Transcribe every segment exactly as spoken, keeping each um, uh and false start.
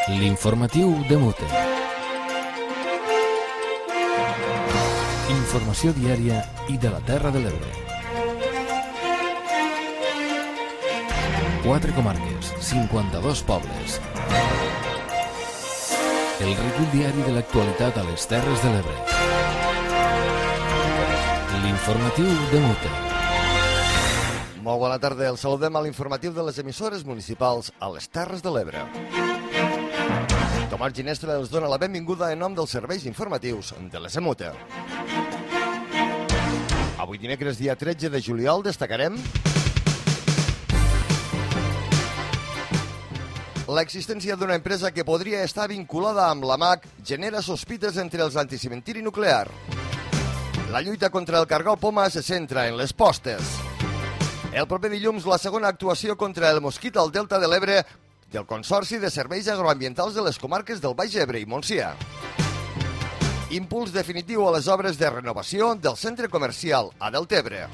L'informatiu de Mute. Informació diària i de la Terra de l'Ebre. Quatre comarques, cinquanta-dos pobles. El recull diari de l'actualitat a les Terres de l'Ebre. L'informatiu de Mute. Molt bona tarda, el saludem a l'informatiu de les emissores municipals a les Terres de l'Ebre. Tomàs Ginestra els dona la benvinguda en nom dels serveis informatius de l'E S M U T E. Avui dimecres, dia tretze de juliol, destacarem l'existència d'una empresa que podria estar vinculada amb la M A C genera sospites entre els anticimentiri nuclear. La lluita contra el cargol poma se centra en les postes. El proper dilluns, la segona actuació contra el mosquit al Delta de l'Ebre del Consorci de Serveis Agroambientals de les comarques del Baix Ebre i Montsià. Impuls definitiu a les obres de renovació del centre comercial a Deltebre.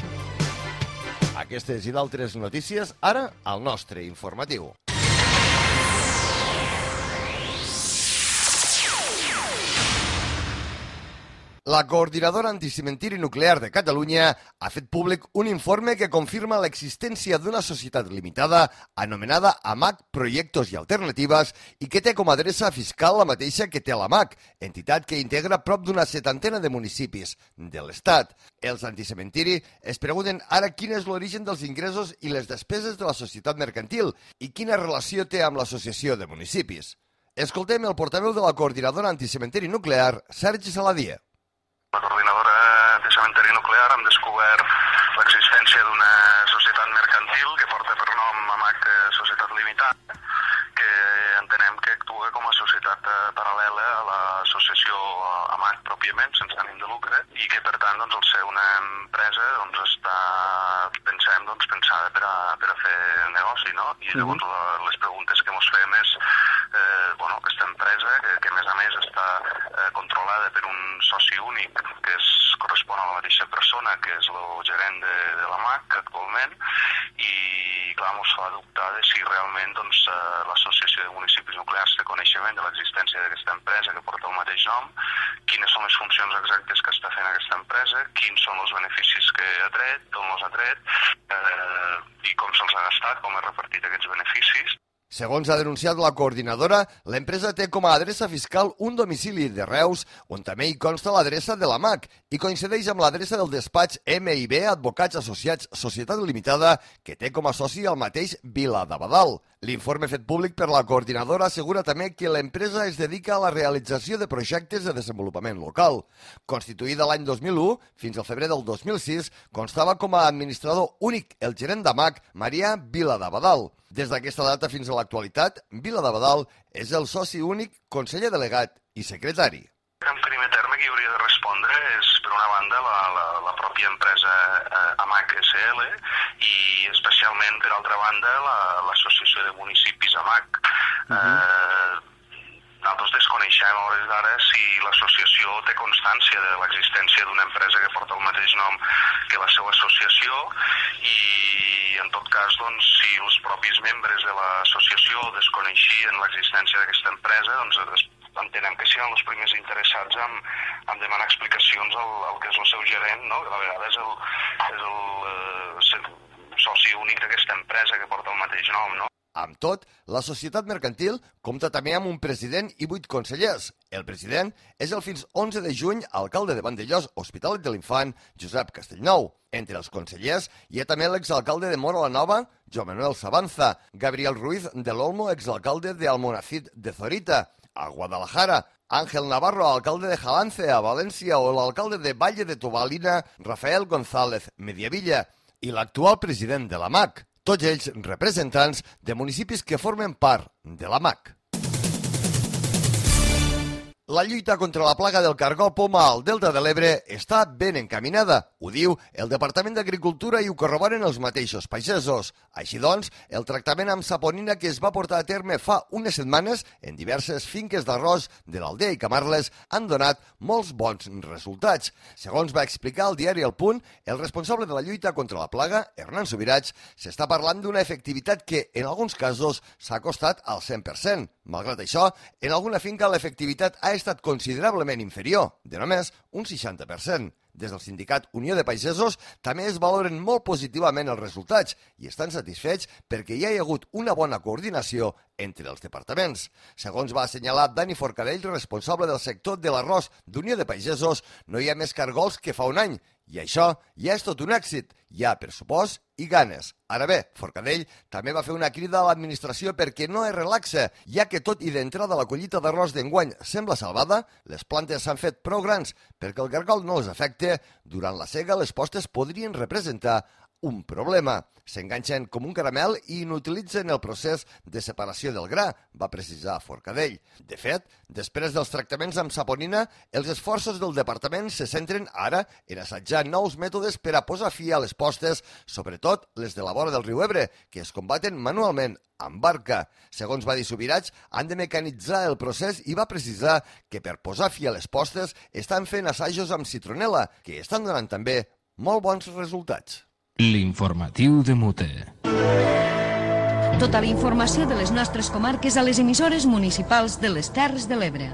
Aquestes i d'altres notícies, ara al nostre informatiu. La Coordinadora Anticimentiri Nuclear de Catalunya ha fet públic un informe que confirma l'existència d'una societat limitada anomenada A M A C Proyectos i Alternatives i que té com a adreça fiscal la mateixa que té la M A C, entitat que integra prop d'una setantena de municipis de l'Estat. Els anticementiri es pregunten ara quin és l'origen dels ingressos i les despeses de la societat mercantil i quina relació té amb l'associació de municipis. Escoltem el portaveu de la Coordinadora Anticimentiri Nuclear, Sergi Saladier. La Coordinadora de Cementeri Nuclear hem descobert l'existència d'una societat mercantil que porta per nom A M A C Societat Limitada, que entenem que actua com a societat paral·lela a l'associació A M A C pròpiament, sense ànim de lucre, i que per tant, doncs, al ser una empresa, doncs, està, pensem, doncs, pensada per a, per a fer negoci, no? I llavors la, les preguntes que ens fem és eh, bueno, aquesta empresa, que, que a més a més està eh, controlada per un soci únic, que es correspon a la mateixa persona, que és el gerent de, de la M A C actualment, i clar, ens fa dubtar de si realment doncs, eh, l'Associació de Municipis Nuclears té coneixement de l'existència d'aquesta empresa que porta el mateix nom, quines són les funcions exactes que està fent aquesta empresa, quins són els beneficis que ha tret, d'on els ha tret, eh, i com se'ls ha gastat, com ha repartit aquests beneficis. Segons ha denunciat la coordinadora, l'empresa té com a adreça fiscal un domicili de Reus, on també hi consta l'adreça de la M A C i coincideix amb l'adreça del despatx M i B Advocats Associats Societat Limitada, que té com a soci el mateix Viladabadal. L'informe fet públic per la coordinadora assegura també que l'empresa es dedica a la realització de projectes de desenvolupament local. Constituïda l'any dos mil u, fins al febrer del dos mil sis, constava com a administrador únic el gerent d'A M A C, Marià Viladabadal. Des d'aquesta data fins a l'actualitat, Viladabadal és el soci únic, conseller delegat i secretari. En primer terme, qui hauria de respondre és, per una banda, la, la, la pròpia empresa eh, A M A C S L i especialment, per altra banda, l'Associació de Municipis A M A C. Uh -huh. eh, Nosaltres desconeixem a hores d'ara si l'associació té constància de l'existència d'una empresa que porta el mateix nom que la seva associació i, en tot cas, doncs, si els propis membres de l'associació desconeixien l'existència d'aquesta empresa, doncs entenem que seran els primers interessats en, en demanar explicacions al, al que és el seu gerent, no? Que a vegades és el, és el, eh, soci únic d'aquesta empresa que porta el mateix nom, no? Amb tot, la societat mercantil compta també amb un president i vuit consellers. El president és el fins onze de juny alcalde de Vandellós, Hospitalet de l'Infant, Josep Castellnou. Entre els consellers hi ha també l'exalcalde de Móra la Nova, Joan Manuel Sabanza, Gabriel Ruiz de l'Olmo, exalcalde de Almonacid de Zorita, a Guadalajara, Ángel Navarro, alcalde de Jalance, a València, o l'alcalde de Valle de Tobalina, Rafael González Mediavilla, i l'actual president de la M A C. Tots ells representants de municipis que formen part de la M A C. La lluita contra la plaga del cargol poma al Delta de l'Ebre està ben encaminada. Ho diu el Departament d'Agricultura i ho corroboren els mateixos pagesos. Així doncs, el tractament amb saponina que es va portar a terme fa unes setmanes en diverses finques d'arròs de l'Aldea i Camarles han donat molts bons resultats. Segons va explicar el diari El Punt, el responsable de la lluita contra la plaga, Hernán Subirats, s'està parlant d'una efectivitat que, en alguns casos, s'ha acostat al cent per cent. Malgrat això, en alguna finca l'efectivitat ha estat considerablement inferior, de només un seixanta per cent. Des del sindicat Unió de Pagesos també es valoren molt positivament els resultats i estan satisfets perquè hi ha hagut una bona coordinació entre els departaments. Segons va assenyalar Dani Forcadell, responsable del sector de l'arròs d'Unió de Pagesos, no hi ha més cargols que fa un any i això ja és tot un èxit. Hi ha pressupost i ganes. Ara bé, Forcadell també va fer una crida a l'administració perquè no es relaxa, ja que tot i d'entrada la collita d'arròs d'enguany sembla salvada, les plantes s'han fet prou grans perquè el cargol no els afecte. Durant la sega, les postes podrien representar un problema. S'enganxen com un caramel i inutilitzen el procés de separació del gra, va precisar Forcadell. De fet, després dels tractaments amb saponina, els esforços del departament se centren ara en assajar nous mètodes per a posar fi a les postes, sobretot les de la vora del riu Ebre, que es combaten manualment amb barca. Segons va dir Subirats, han de mecanitzar el procés i va precisar que per posar fi a les postes estan fent assajos amb citronela, que estan donant també molt bons resultats. L'informatiu de Mute. Tota la informació de les nostres comarques a les emissores municipals de les Terres de l'Ebre.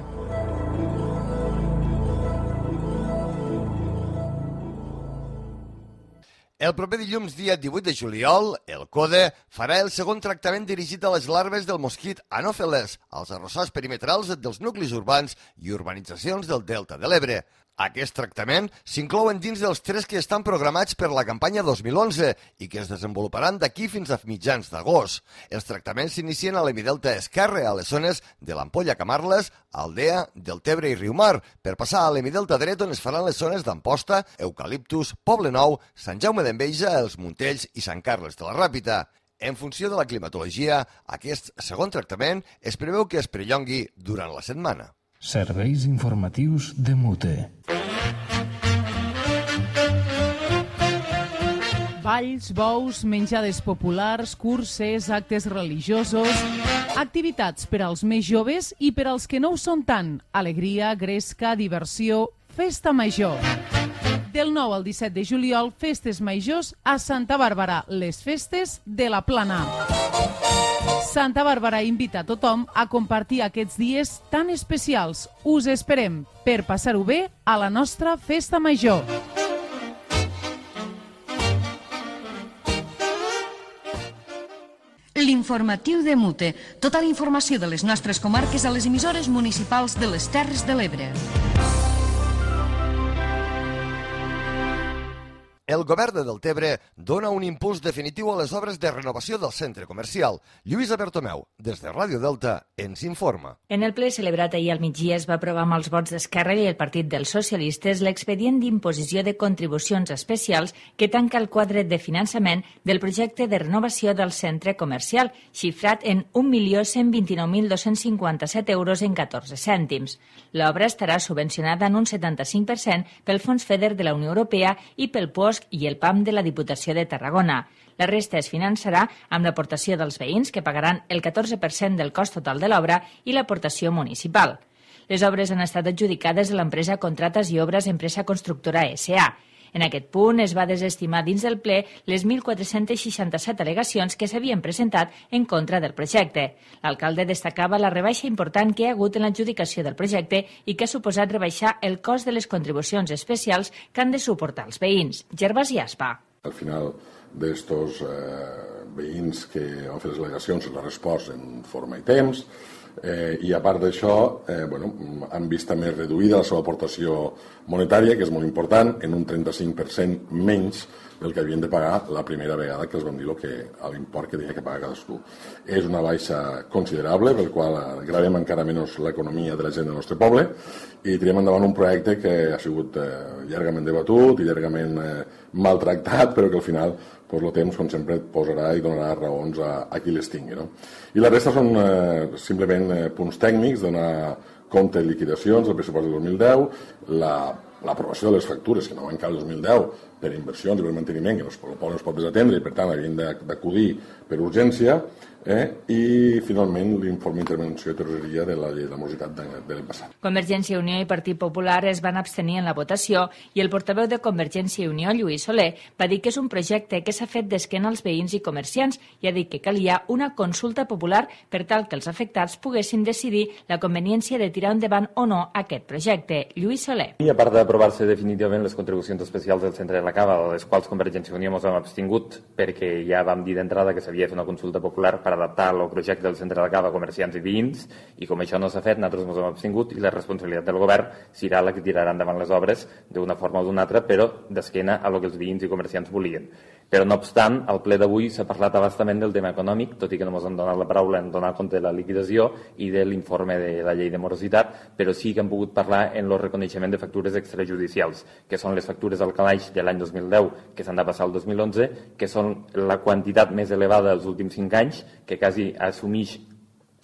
El proper dilluns, dia divuit de juliol, el CODE farà el segon tractament dirigit a les larves del mosquit anòfeles, als arrossars perimetrals dels nuclis urbans i urbanitzacions del Delta de l'Ebre. Aquest tractament s'inclouen dins dels tres que estan programats per la campanya dos mil onze i que es desenvoluparan d'aquí fins a mitjans d'agost. Els tractaments s'inicien a l'hemidelta esquerre, a les zones de l'Ampolla Camarles, Aldea, Deltebre i Riumar, per passar a l'hemidelta dret on es faran les zones d'Amposta, Eucaliptus, Poble Nou, Sant Jaume d'Enveja, Els Muntells i Sant Carles de la Ràpita. En funció de la climatologia, aquest segon tractament es preveu que es perllongui durant la setmana. Serveis informatius de Mute. Balls, bous, menjades populars, curses, actes religiosos, activitats per als més joves i per als que no ho són tant. Alegria, gresca, diversió, festa major. Del nou al disset de juliol, festes majors a Santa Bàrbara, les festes de la Plana. Santa Bàrbara invita a tothom a compartir aquests dies tan especials. Us esperem per passar-ho bé a la nostra festa major. L'informatiu de Mute. Tota la informació de les nostres comarques a les emissores municipals de les Terres de l'Ebre. El govern de Deltebre dona un impuls definitiu a les obres de renovació del centre comercial. Lluïsa Bertomeu, des de Ràdio Delta, ens informa. En el ple celebrat ahir al migdia es va aprovar amb els vots d'Esquerra i el Partit dels Socialistes l'expedient d'imposició de contribucions especials que tanca el quadre de finançament del projecte de renovació del centre comercial, xifrat en un milió cent vint-i-nou mil dos-cents cinquanta-set euros en catorze cèntims. L'obra estarà subvencionada en un setanta-cinc per cent pel Fons FEDER de la Unió Europea i pel P O S C i el P A M de la Diputació de Tarragona. La resta es finançarà amb l'aportació dels veïns, que pagaran el catorze per cent del cost total de l'obra, i l'aportació municipal. Les obres han estat adjudicades a l'empresa Contrates i Obres Empresa Constructora S A En aquest punt es va desestimar dins del ple les mil quatre-cents seixanta-set al·legacions que s'havien presentat en contra del projecte. L'alcalde destacava la rebaixa important que hi ha hagut en l'adjudicació del projecte i que ha suposat rebaixar el cost de les contribucions especials que han de suportar els veïns. Gervasi Aspa. Al final d'estos eh, veïns que han fet les al·legacions les respost en forma i temps, Eh, i a part d'això eh, bueno, han vist també reduïda la seva aportació monetària, que és molt important, en un trenta-cinc per cent menys del que havien de pagar la primera vegada que els vam dir lo que, a l'import que tenia que pagar cadascú. És una baixa considerable, pel qual gravem encara menys l'economia de la gent del nostre poble, i tirem endavant un projecte que ha sigut eh, llargament debatut i llargament eh, maltractat, però que al final pues, el temps, com sempre, et posarà i donarà raons a, a qui les tingui. No? I la resta són eh, simplement eh, punts tècnics, donar compte de liquidacions del pressupost del dos mil deu, l'aprovació de les factures que no van caure el dos mil deu per inversions i per manteniment, que no es, no es pot desatendre i per tant havien d'acudir per urgència, eh? I finalment l'informe d'intervenció de tresoreria de la llei de la morositat de, de l'any passat. Convergència i Unió i Partit Popular es van abstenir en la votació i el portaveu de Convergència i Unió, Lluís Soler, va dir que és un projecte que s'ha fet d'esquena als veïns i comerciants i ha dit que calia una consulta popular per tal que els afectats poguessin decidir la conveniència de tirar endavant o no aquest projecte. Lluís Soler. I a part d'aprovar-se definitivament les contribucions especials del centre de la Cava, a les quals Convergència i Unió ens hem abstingut perquè ja vam dir d'entrada que s'havia de fer una consulta popular per adaptar el projecte del centre de la Cava a comerciants i veïns, i com això no s'ha fet, nosaltres ens hem abstingut i la responsabilitat del govern serà la que tirarà endavant les obres d'una forma o d'una altra, però d'esquena a lo que els veïns i comerciants volien. Però no obstant, al ple d'avui s'ha parlat abastament del tema econòmic, tot i que no ens han donat la paraula en donar compte de la liquidació i de l'informe de la llei de morositat, però sí que hem pogut parlar en el reconeixement de factures extrajudicials, que són les factures al calaix de l'any dos mil deu, que s'han de passar al dos mil onze, que són la quantitat més elevada dels últims cinc anys, que quasi assumeix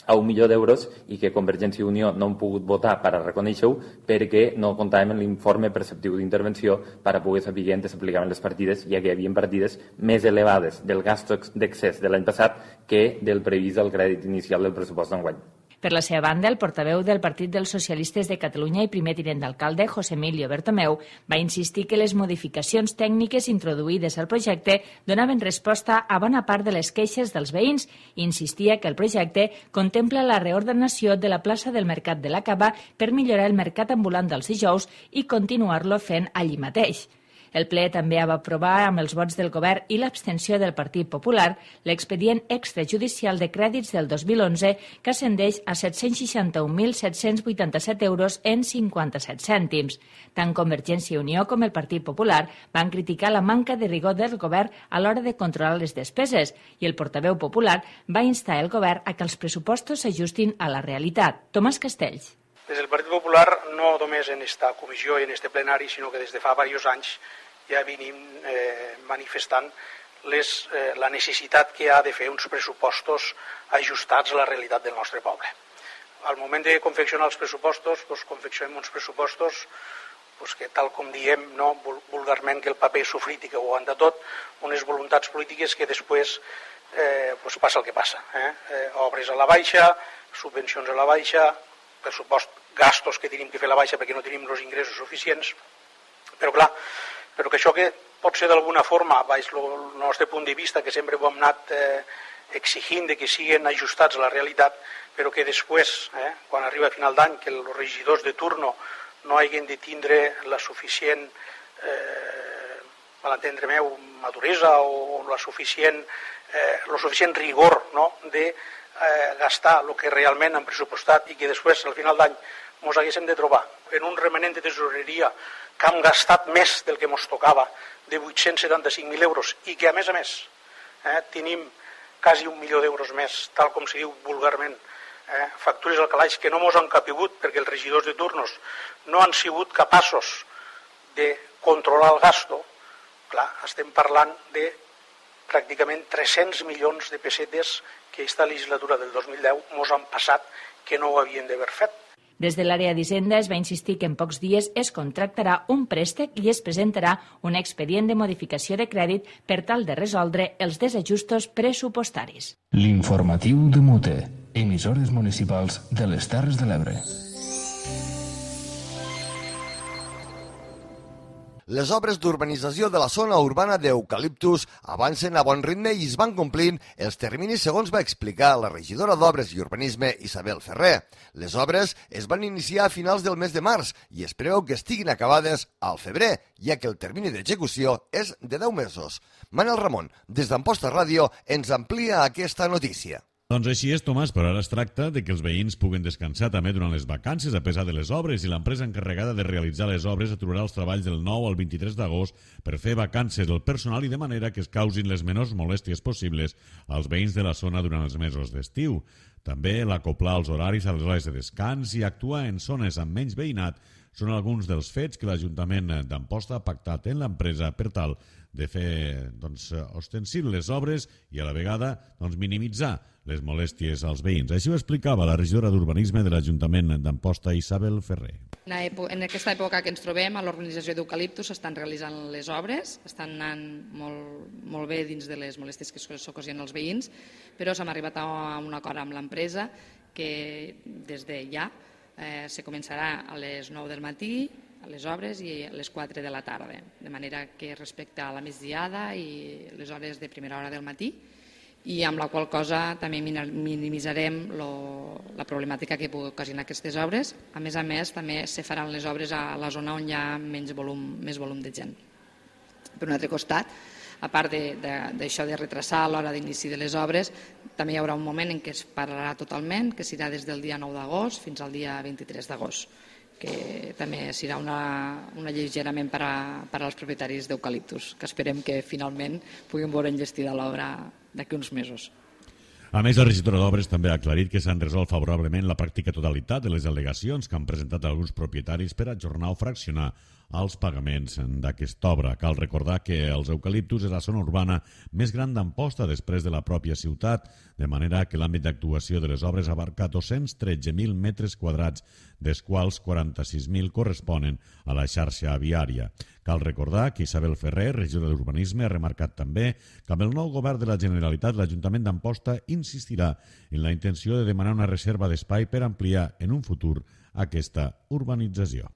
a un milió d'euros i que Convergència i Unió no han pogut votar per a reconèixer-ho perquè no comptàvem amb l'informe preceptiu d'intervenció per a poder saber on s'aplicaven les partides, ja que hi havia partides més elevades del gast d'excés de l'any passat que del previst del crèdit inicial del pressupost d'enguany. Per la seva banda, el portaveu del Partit dels Socialistes de Catalunya i primer tinent d'alcalde, José Emilio Bertomeu, va insistir que les modificacions tècniques introduïdes al projecte donaven resposta a bona part de les queixes dels veïns i insistia que el projecte contempla la reordenació de la plaça del Mercat de la Cava per millorar el mercat ambulant dels dijous i continuar-lo fent allí mateix. El ple també va aprovar, amb els vots del govern i l'abstenció del Partit Popular, l'expedient extrajudicial de crèdits del dos mil onze, que ascendeix a set-cents seixanta-un mil set-cents vuitanta-set euros en cinquanta-set cèntims. Tant Convergència i Unió com el Partit Popular van criticar la manca de rigor del govern a l'hora de controlar les despeses i el portaveu popular va instar el govern a que els pressupostos s'ajustin a la realitat. Tomàs Castells. Des del Partit Popular, no només en esta comissió i en este plenari, sinó que des de fa diversos anys ja venim eh, manifestant les, eh, la necessitat que ha de fer uns pressupostos ajustats a la realitat del nostre poble. Al moment de confeccionar els pressupostos, doncs confeccionem uns pressupostos doncs que, tal com diem no, vulgarment, que el paper és sofrit i que ho aguanta tot, unes voluntats polítiques que després eh, doncs passa el que passa. Eh? Eh, obres a la baixa, subvencions a la baixa, pressupost, gastos que tenim que fer a la baixa perquè no tenim els ingressos suficients, però clar, però que això que pot ser d'alguna forma, baix el nostre punt de vista, que sempre ho hem anat eh, exigint de que siguin ajustats a la realitat, però que després, eh, quan arriba a final d'any, que els regidors de turno no hagin de tindre la suficient, eh, a l'entendre meu, maduresa o la suficient, eh, el suficient rigor no, de eh, gastar el que realment han pressupostat i que després, al final d'any, ens haguéssim de trobar en un remanent de tesoreria que hem gastat més del que ens tocava, de vuit-cents setanta-cinc mil euros, i que, a més a més, eh, tenim quasi un milió d'euros més, tal com se diu vulgarment, eh, factures al calaix que no ens han capigut perquè els regidors de turnos no han sigut capaços de controlar el gasto. Clar, estem parlant de pràcticament tres-cents milions de pessetes que aquesta legislatura del dos mil deu ens han passat que no ho havien d'haver fet. Des de l'àrea d'Hisenda es va insistir que en pocs dies es contractarà un préstec i es presentarà un expedient de modificació de crèdit per tal de resoldre els desajustos pressupostaris. L'informatiu de Mute, emissores municipals de les Terres de l'Ebre. Les obres d'urbanització de la zona urbana d'Eucaliptus avancen a bon ritme i es van complint els terminis segons va explicar la regidora d'Obres i Urbanisme Isabel Ferrer. Les obres es van iniciar a finals del mes de març i es preveu que estiguin acabades al febrer, ja que el termini d'execució és de deu mesos. Manel Ramon, des d'Amposta Ràdio, ens amplia aquesta notícia. Doncs així és, Tomàs, però ara es tracta de que els veïns puguen descansar també durant les vacances a pesar de les obres i l'empresa encarregada de realitzar les obres aturarà els treballs del nou al vint-i-tres d'agost per fer vacances del personal i de manera que es causin les menors molèsties possibles als veïns de la zona durant els mesos d'estiu. També l'acoplar els horaris a les hores de descans i actuar en zones amb menys veïnat són alguns dels fets que l'Ajuntament d'Amposta ha pactat en l'empresa per tal de fer doncs, ostensibles les obres i a la vegada doncs, minimitzar les molèsties als veïns. Així ho explicava la regidora d'Urbanisme de l'Ajuntament d'Amposta, Isabel Ferrer. En aquesta època que ens trobem, a l'organització d'Eucaliptus s'estan realitzant les obres, estan anant molt, molt bé dins de les molèsties que s'ocasionen als veïns, però s'hem arribat a un acord amb l'empresa que des de ja eh, se començarà a les nou del matí, a les obres, i a les quatre de la tarda, de manera que respecte a la migdiada i les hores de primera hora del matí, i amb la qual cosa també minimitzarem lo, la problemàtica que pugui ocasionar aquestes obres. A més a més, també se faran les obres a la zona on hi ha menys volum, més volum de gent. Per un altre costat, a part d'això de, de, de retrasar l'hora d'inici de les obres, també hi haurà un moment en què es pararà totalment, que serà des del dia nou d'agost fins al dia vint-i-tres d'agost, que també serà una, un alleugerament per, a, per als propietaris d'Eucaliptus, que esperem que finalment puguin veure enllestida l'obra d'aquí uns mesos. A més, la regidora d'Obres també ha aclarit que s'han resolt favorablement la pràctica totalitat de les al·legacions que han presentat alguns propietaris per ajornar o fraccionar els pagaments d'aquesta obra. Cal recordar que els eucaliptus és la zona urbana més gran d'Amposta després de la pròpia ciutat, de manera que l'àmbit d'actuació de les obres abarca dos-cents tretze mil metres quadrats, dels quals quaranta-sis mil corresponen a la xarxa viària. Cal recordar que Isabel Ferrer, regidora d'Urbanisme, ha remarcat també que amb el nou govern de la Generalitat l'Ajuntament d'Amposta insistirà en la intenció de demanar una reserva d'espai per ampliar en un futur aquesta urbanització.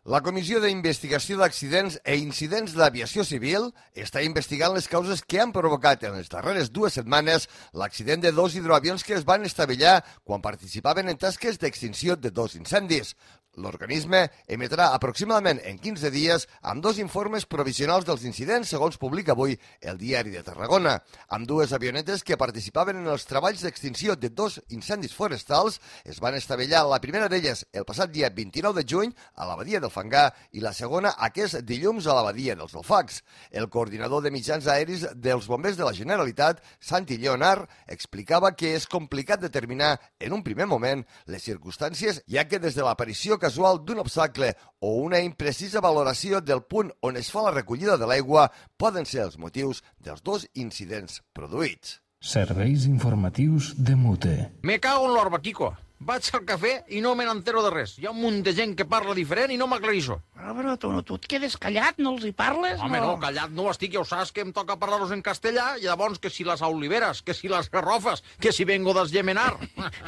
La Comissió d'Investigació d'Accidents e Incidents d'Aviació Civil està investigant les causes que han provocat en les darreres dues setmanes l'accident de dos hidroavions que es van estavellar quan participaven en tasques d'extinció de dos incendis. L'organisme emetrà aproximadament en quinze dies amb dos informes provisionals dels incidents, segons publica avui el Diari de Tarragona. Amb dues avionetes que participaven en els treballs d'extinció de dos incendis forestals es van estavellar, la primera d'elles el passat dia vint-i-nou de juny a la badia del Fangar i la segona aquest dilluns a la badia dels Alfacs. El coordinador de mitjans aeris dels bombers de la Generalitat, Santi Lleonard, explicava que és complicat determinar en un primer moment les circumstàncies, ja que des de l'aparició casual d'un obstacle o una imprecisa valoració del punt on es fa la recollida de l'aigua poden ser els motius dels dos incidents produïts. Serveis informatius de Mute. Me cago en l'orba, Kiko. Vaig al cafè i no me n'entero de res. Hi ha un munt de gent que parla diferent i no m'aclareixo. Però, però tu, tu et quedes callat, no els hi parles? Home, no, no callat no estic, ja ho saps que em toca parlar-los en castellà, i llavors que si les oliveres, que si les garrofes, que si vengo d'esgemenar.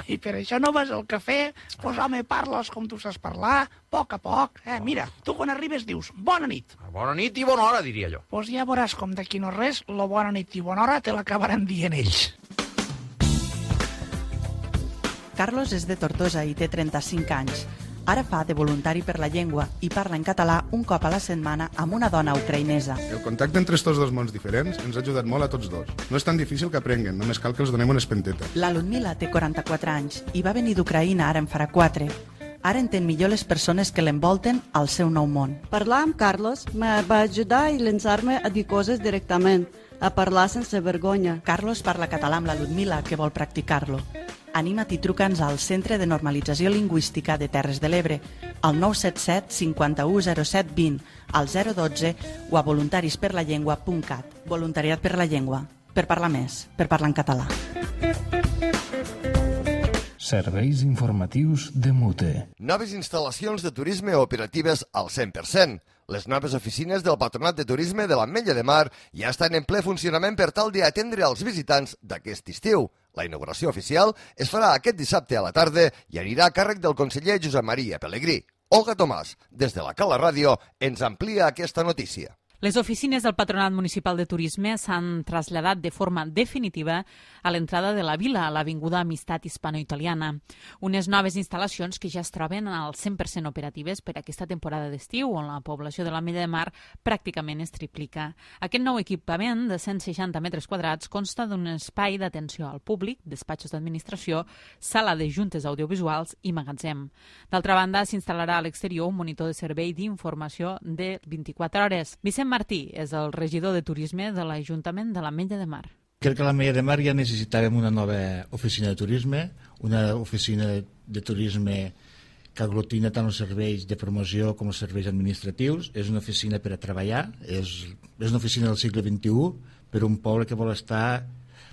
I per això no vas al cafè? Pues home, parles com tu saps parlar, a poc a poc. Eh, mira, tu quan arribes dius bona nit. Bona nit i bona hora, diria jo. Pues ja veuràs com d'aquí no res, la bona nit i bona hora te l'acabaran dient ells. Carlos és de Tortosa i té trenta-cinc anys. Ara fa de voluntari per la llengua i parla en català un cop a la setmana amb una dona ucraïnesa. El contacte entre estos dos mons diferents ens ha ajudat molt a tots dos. No és tan difícil que aprenguen, només cal que els donem una espenteta. La Ludmila té quaranta-quatre anys i va venir d'Ucraïna ara en farà quatre. Ara entén millor les persones que l'envolten al seu nou món. Parlar amb Carlos me va ajudar i llançar-me a dir coses directament, a parlar sense vergonya. Carlos parla català amb la Ludmila, que vol practicar-lo. Anima't i truca'ns al Centre de Normalització Lingüística de Terres de l'Ebre, al nou set set cinquanta-u zero set vint, al zero dotze o a voluntarisperlallengua punt cat. Voluntariat per la llengua. Per parlar més. Per parlar en català. Serveis informatius de Mute. Noves instal·lacions de turisme operatives al cent per cent. Les noves oficines del Patronat de Turisme de l'Ametlla de Mar ja estan en ple funcionament per tal d'atendre els visitants d'aquest estiu. La inauguració oficial es farà aquest dissabte a la tarda i anirà a càrrec del conseller Josep Maria Pelegrí. Olga Tomàs, des de la Cala Ràdio, ens amplia aquesta notícia. Les oficines del Patronat Municipal de Turisme s'han traslladat de forma definitiva a l'entrada de la vila, a l'Avinguda Amistat Hispano-Italiana. Unes noves instal·lacions que ja es troben al cent per cent operatives per aquesta temporada d'estiu, on la població de l'Ametlla de Mar pràcticament es triplica. Aquest nou equipament de cent seixanta metres quadrats consta d'un espai d'atenció al públic, despatxos d'administració, sala de juntes audiovisuals i magatzem. D'altra banda, s'instal·larà a l'exterior un monitor de servei d'informació de vint-i-quatre hores. Vicent Martí és el regidor de Turisme de l'Ajuntament de l'Ametlla de Mar. Crec que a l'Ametlla de Mar ja necessitàvem una nova oficina de turisme, una oficina de turisme que aglutina tant els serveis de promoció com els serveis administratius. És una oficina per a treballar, és, és una oficina del segle vint-i-u per un poble que vol estar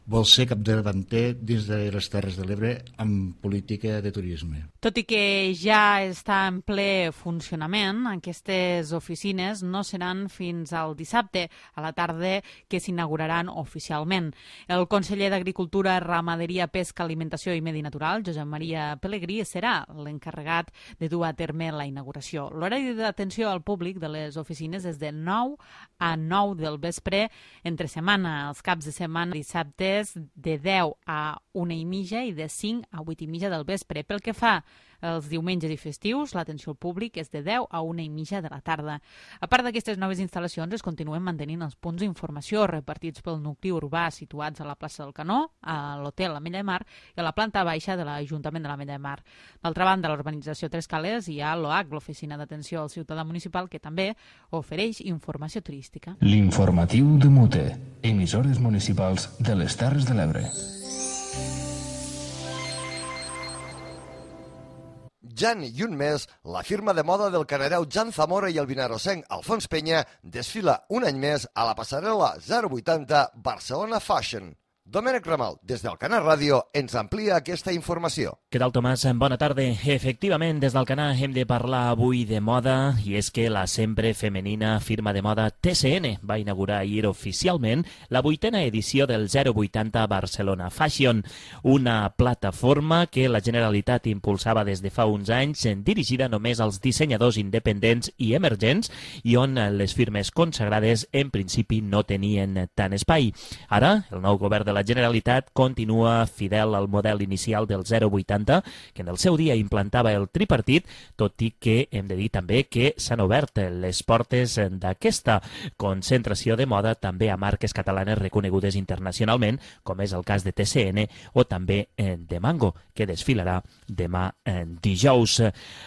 vol ser capdavanter dins de les Terres de l'Ebre amb política de turisme. Tot i que ja està en ple funcionament, aquestes oficines no seran fins al dissabte a la tarda que s'inauguraran oficialment. El conseller d'Agricultura, Ramaderia, Pesca, Alimentació i Medi Natural, Josep Maria Pelegrí, serà l'encarregat de dur a terme la inauguració. L'horari d'atenció al públic de les oficines és de nou a nou del vespre entre setmana, els caps de setmana, dissabte de deu a una i mitja i de cinc a vuit i mitja del vespre. Pel que fa els diumenges i festius, l'atenció al públic és de deu a una i mitja de la tarda. A part d'aquestes noves instal·lacions, es continuen mantenint els punts d'informació repartits pel nucli urbà situats a la plaça del Canó, a l'hotel Ametlla de Mar i a la planta baixa de l'Ajuntament de l'Ametlla de Mar. D'altra banda, a l'urbanització Tres Cales hi ha l'O H, l'Oficina d'Atenció al Ciutadà Municipal, que també ofereix informació turística. L'informatiu de Mute, emissores municipals de les Terres de l'Ebre. Ja i un mes, la firma de moda del canareu Jan Zamora i el vinarosenc Alfons Peña desfila un any més a la passarel·la zero vuitanta Barcelona Fashion. Domènec Ramal, des del Canà Ràdio, ens amplia aquesta informació. Què tal, Tomàs? Bona tarda. Efectivament, des del Canà hem de parlar avui de moda, i és que la sempre femenina firma de moda T C N va inaugurar ahir oficialment la vuitena edició del zero vuitanta Barcelona Fashion, una plataforma que la Generalitat impulsava des de fa uns anys, dirigida només als dissenyadors independents i emergents, i on les firmes consagrades en principi no tenien tant espai. Ara, el nou govern de la Generalitat continua fidel al model inicial del zero vuitanta, que en el seu dia implantava el tripartit, tot i que hem de dir també que s'han obert les portes d'aquesta concentració de moda també a marques catalanes reconegudes internacionalment, com és el cas de T C N o també de Mango, que desfilarà demà dijous.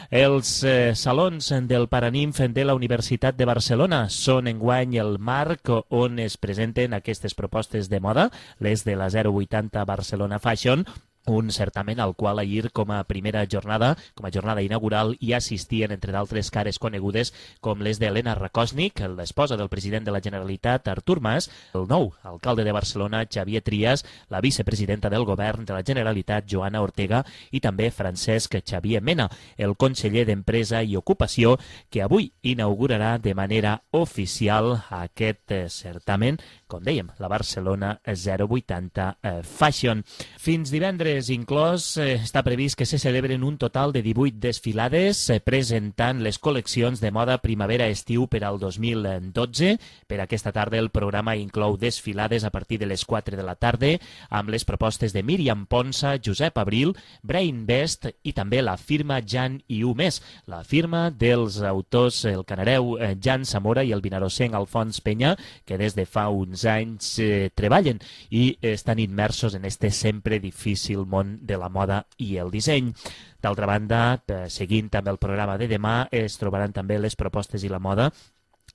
Els salons del Paranimf de la Universitat de Barcelona són enguany el marc on es presenten aquestes propostes de moda, les de la zero vuitanta Barcelona Fashion, un certamen al qual ahir com a primera jornada, com a jornada inaugural, hi assistien, entre d'altres cares conegudes, com les d'Helena Rakosnik, l'esposa del president de la Generalitat, Artur Mas, el nou alcalde de Barcelona, Xavier Trias, la vicepresidenta del govern de la Generalitat, Joana Ortega, i també Francesc Xavier Mena, el conseller d'Empresa i Ocupació, que avui inaugurarà de manera oficial aquest certamen, com dèiem, la Barcelona zero vuitanta Fashion. Fins divendres inclòs, eh, està previst que se celebren un total de divuit desfilades eh, presentant les col·leccions de moda primavera-estiu per al dos mil dotze. Per aquesta tarda el programa inclou desfilades a partir de les quatre de la tarda amb les propostes de Míriam Ponsa, Josep Abril, Brain Best i també la firma Jan i U més, la firma dels autors el canareu eh, Jan Zamora i el vinarosenc Alfons Peña, que des de fa uns anys eh, treballen i estan immersos en este sempre difícil món de la moda i el disseny. D'altra banda, seguint també el programa de demà, es trobaran també les propostes i la moda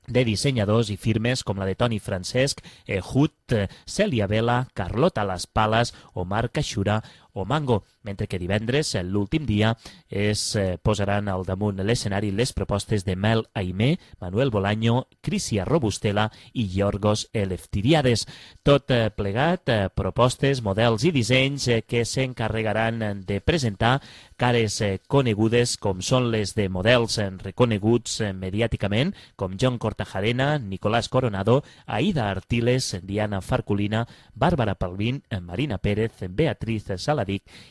de dissenyadors i firmes com la de Toni Francesc, Ehud, Cèlia Vela, Carlota Las Palas, Omar Caixura o Mango, mentre que divendres, l'últim dia, es posaran al damunt l'escenari les propostes de Mel Aimé, Manuel Bolaño, Crisia Robustela i Yorgos Eleftiriades. Tot plegat, propostes, models i dissenys que s'encarregaran de presentar cares conegudes com són les de models reconeguts mediàticament, com John Cortajarena, Nicolás Coronado, Aida Artiles, Diana Farculina, Bàrbara Palvin, Marina Pérez, Beatriz Saladic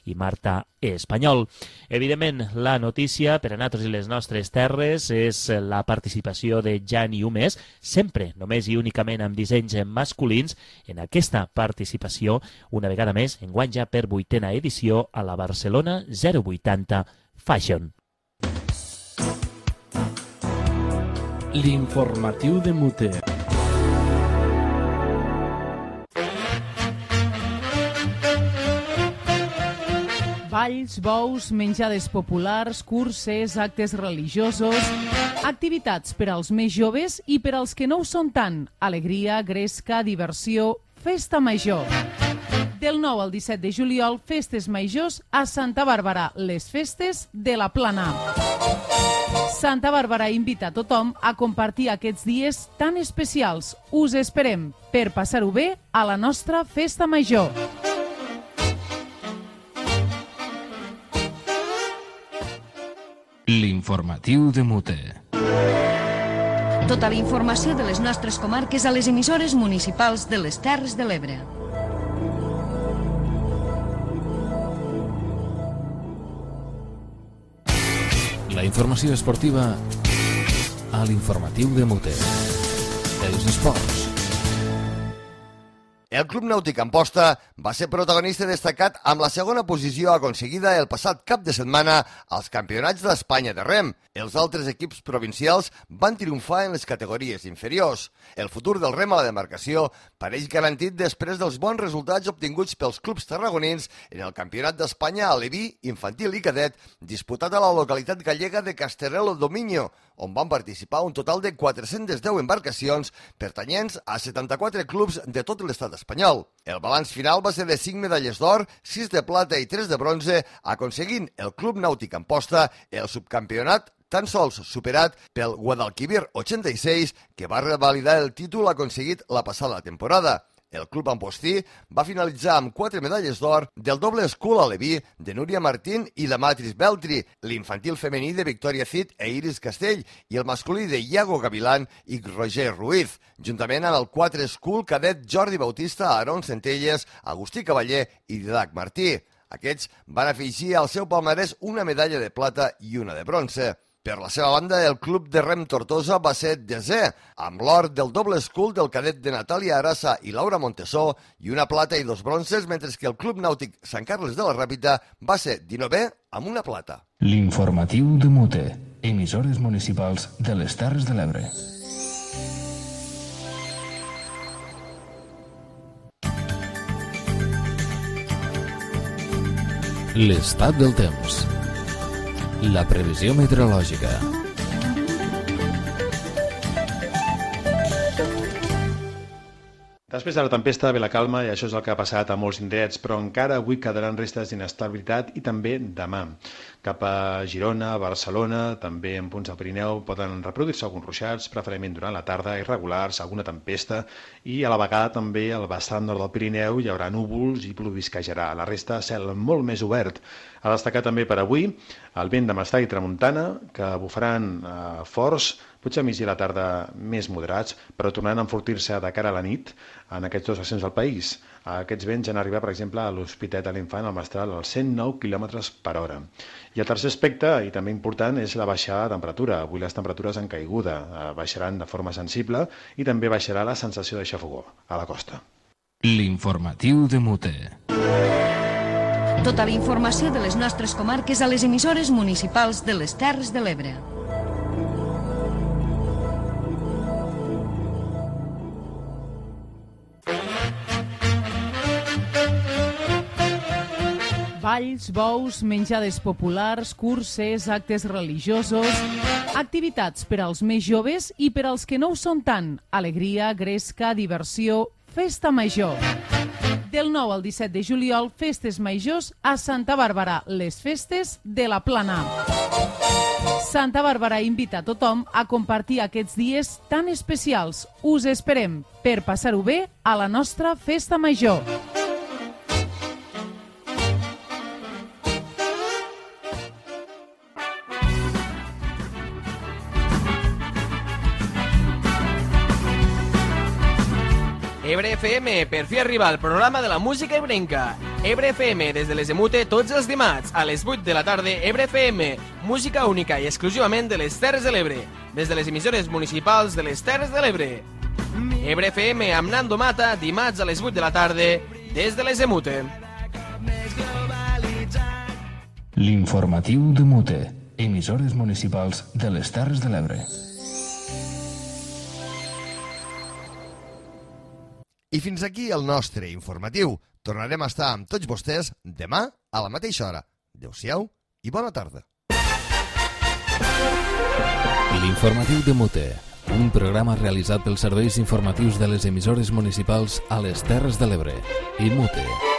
i Marta Espanyol. Evidentment, la notícia per a nosaltres i les nostres terres és la participació de Jan i U més, sempre, només i únicament amb dissenys masculins, en aquesta participació, una vegada més, enguany ja per vuitena edició a la Barcelona zero vuitanta Fashion. L'informatiu de Mute. Balls, bous, menjades populars, curses, actes religiosos, activitats per als més joves i per als que no ho són tant. Alegria, gresca, diversió, festa major. Del nou al disset de juliol, festes majors a Santa Bàrbara, les festes de la Plana. Santa Bàrbara invita a tothom a compartir aquests dies tan especials. Us esperem per passar-ho bé a la nostra festa major. L'informatiu de Mute. Tota la informació de les nostres comarques a les emissores municipals de les Terres de l'Ebre. La informació esportiva a l'informatiu de Mute. Els esports. El Club Nàutic Amposta va ser protagonista destacat amb la segona posició aconseguida el passat cap de setmana als Campionats d'Espanya de rem. Els altres equips provincials van triomfar en les categories inferiors. El futur del rem a la demarcació pareix garantit després dels bons resultats obtinguts pels clubs tarragonins en el Campionat d'Espanya a Leví, infantil i cadet, disputat a la localitat gallega de Casterelo Dominio, on van participar un total de quatre-centes deu embarcacions pertanyents a setanta-quatre clubs de tot l'estat espanyol. El balanç final va ser de cinc medalles d'or, sis de plata i tres de bronze, aconseguint el Club Nàutic Amposta el subcampionat tan sols superat pel Guadalquivir ochenta y seis, que va revalidar el títol aconseguit la passada temporada. El club ampostí va finalitzar amb quatre medalles d'or del doble escul a Leví de Núria Martín i de Matris Beltri, l'infantil femení de Victòria Cid e Iris Castell i el masculí de Iago Gavilán i Roger Ruiz, juntament amb el quatre escul cadet Jordi Bautista, Aaron Centelles, Agustí Cavaller i Didac Martí. Aquests van afegir al seu palmarès una medalla de plata i una de bronze. Per la seva banda, el club de rem Tortosa va ser desè, amb l'or del doble escul del cadet de Natàlia Arassa i Laura Montesó i una plata i dos bronces, mentre que el club nàutic Sant Carles de la Ràpita va ser dinovè amb una plata. L'informatiu de Mute, emissores municipals de les Terres de l'Ebre. L'estat del temps. La previsió meteorològica. Després de la tempesta ve la calma i això és el que ha passat a molts indrets, però encara avui quedaran restes d'inestabilitat i també demà. Cap a Girona, Barcelona, també en punts del Pirineu poden reproduir-se alguns ruixats, preferentment durant la tarda, irregulars, alguna tempesta, i a la vegada també al vessant nord del Pirineu hi haurà núvols i plovisquejarà. La resta, cel molt més obert. A destacar també per avui el vent de mestall i tramuntana, que bufaran eh, forts, potser a migdia i a la tarda més moderats, però tornaran a enfortir-se de cara a la nit en aquests dos accents del país. Aquests vents han arribat, per exemple, a l'Hospitalet de l'Infant, al Mestral, als cent nou quilòmetres per hora. I el tercer aspecte, i també important, és la baixada de temperatura. Avui les temperatures han caiguda, baixaran de forma sensible i també baixarà la sensació de xafogor a la costa. L'informatiu de Mute. Tota la informació de les nostres comarques a les emissores municipals de les Terres de l'Ebre. Balls, bous, menjades populars, curses, actes religiosos, activitats per als més joves i per als que no ho són tant. Alegria, gresca, diversió, festa major. Del nou al disset de juliol, festes majors a Santa Bàrbara, les festes de la Plana. Santa Bàrbara invita a tothom a compartir aquests dies tan especials. Us esperem per passar-ho bé a la nostra festa major. Ebre F M, per fi arriba el programa de la música ebrenca. Ebre F M, des de les de Mute, tots els dimarts, a les vuit de la tarda, Ebre F M, música única i exclusivament de les Terres de l'Ebre, des de les emissores municipals de les Terres de l'Ebre. Ebre F M amb Nando Mata, dimarts a les vuit de la tarda, des de les de Mute. L'informatiu de Mute, emissores municipals de les Terres de l'Ebre. I fins aquí el nostre informatiu. Tornarem a estar amb tots vostès demà a la mateixa hora. Adéu-siau i bona tarda. L'informatiu de Mute, un programa realitzat pels serveis informatius de les emissores municipals a les Terres de l'Ebre i Mute.